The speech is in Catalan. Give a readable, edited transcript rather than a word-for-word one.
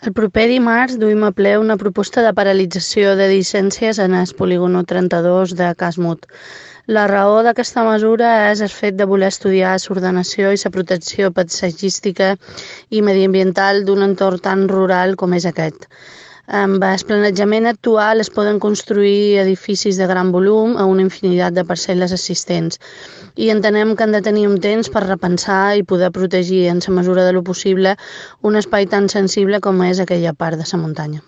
El proper dimarts duim a ple una proposta de paralització de llicències en el polígono 32 de Casmut. La raó d'aquesta mesura és el fet de voler estudiar l'ordenació i la protecció paisatgística i mediambiental d'un entorn tan rural com és aquest. Amb el planejament actual es poden construir edificis de gran volum a una infinitat de parcel·les existents i entenem que han de tenir un temps per repensar i poder protegir en la mesura de lo possible un espai tan sensible com és aquella part de la muntanya.